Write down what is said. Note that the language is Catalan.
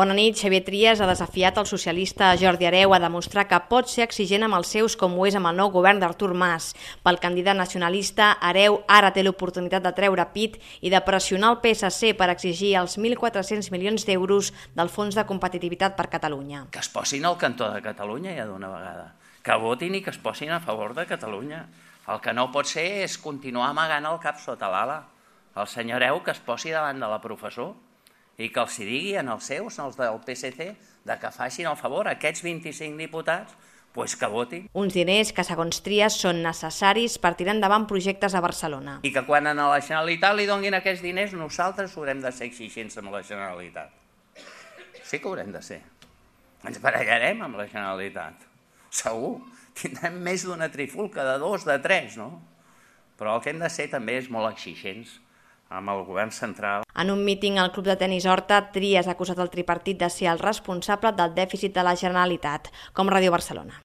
Bona nit. Xavier Trias ha desafiat el socialista Jordi Hereu a demostrar que pot ser exigent amb els seus com ho és amb el nou govern d'Artur Mas. Pel candidat nacionalista, Hereu ara té l'oportunitat de treure pit i de pressionar el PSC per exigir els 1.400 milions d'euros del Fons de Competitivitat per Catalunya. Que es posin al cantó de Catalunya ja d'una vegada. Que votin i que es posin a favor de Catalunya. El que no pot ser és continuar amagant el cap sota l'ala. El senyor Hereu que es posi davant de la professor i que els digui als seus, als del PSC, que facin el favor a aquests 25 diputats, doncs que votin. Uns diners que, segons Trias, són necessaris per tirar endavant projectes a Barcelona. I que quan a la Generalitat li donin aquests diners, nosaltres haurem de ser exigents amb la Generalitat. Sí que haurem de ser. Ens barallarem amb la Generalitat. Segur. Tindrem més d'una trifulca, de 2, de 3, no? Però el que hem de ser també és molt exigents amb el govern central. En un míting al Club de Tenis Horta, Trias ha acusat el tripartit de ser el responsable del dèficit de la Generalitat, com Ràdio Barcelona.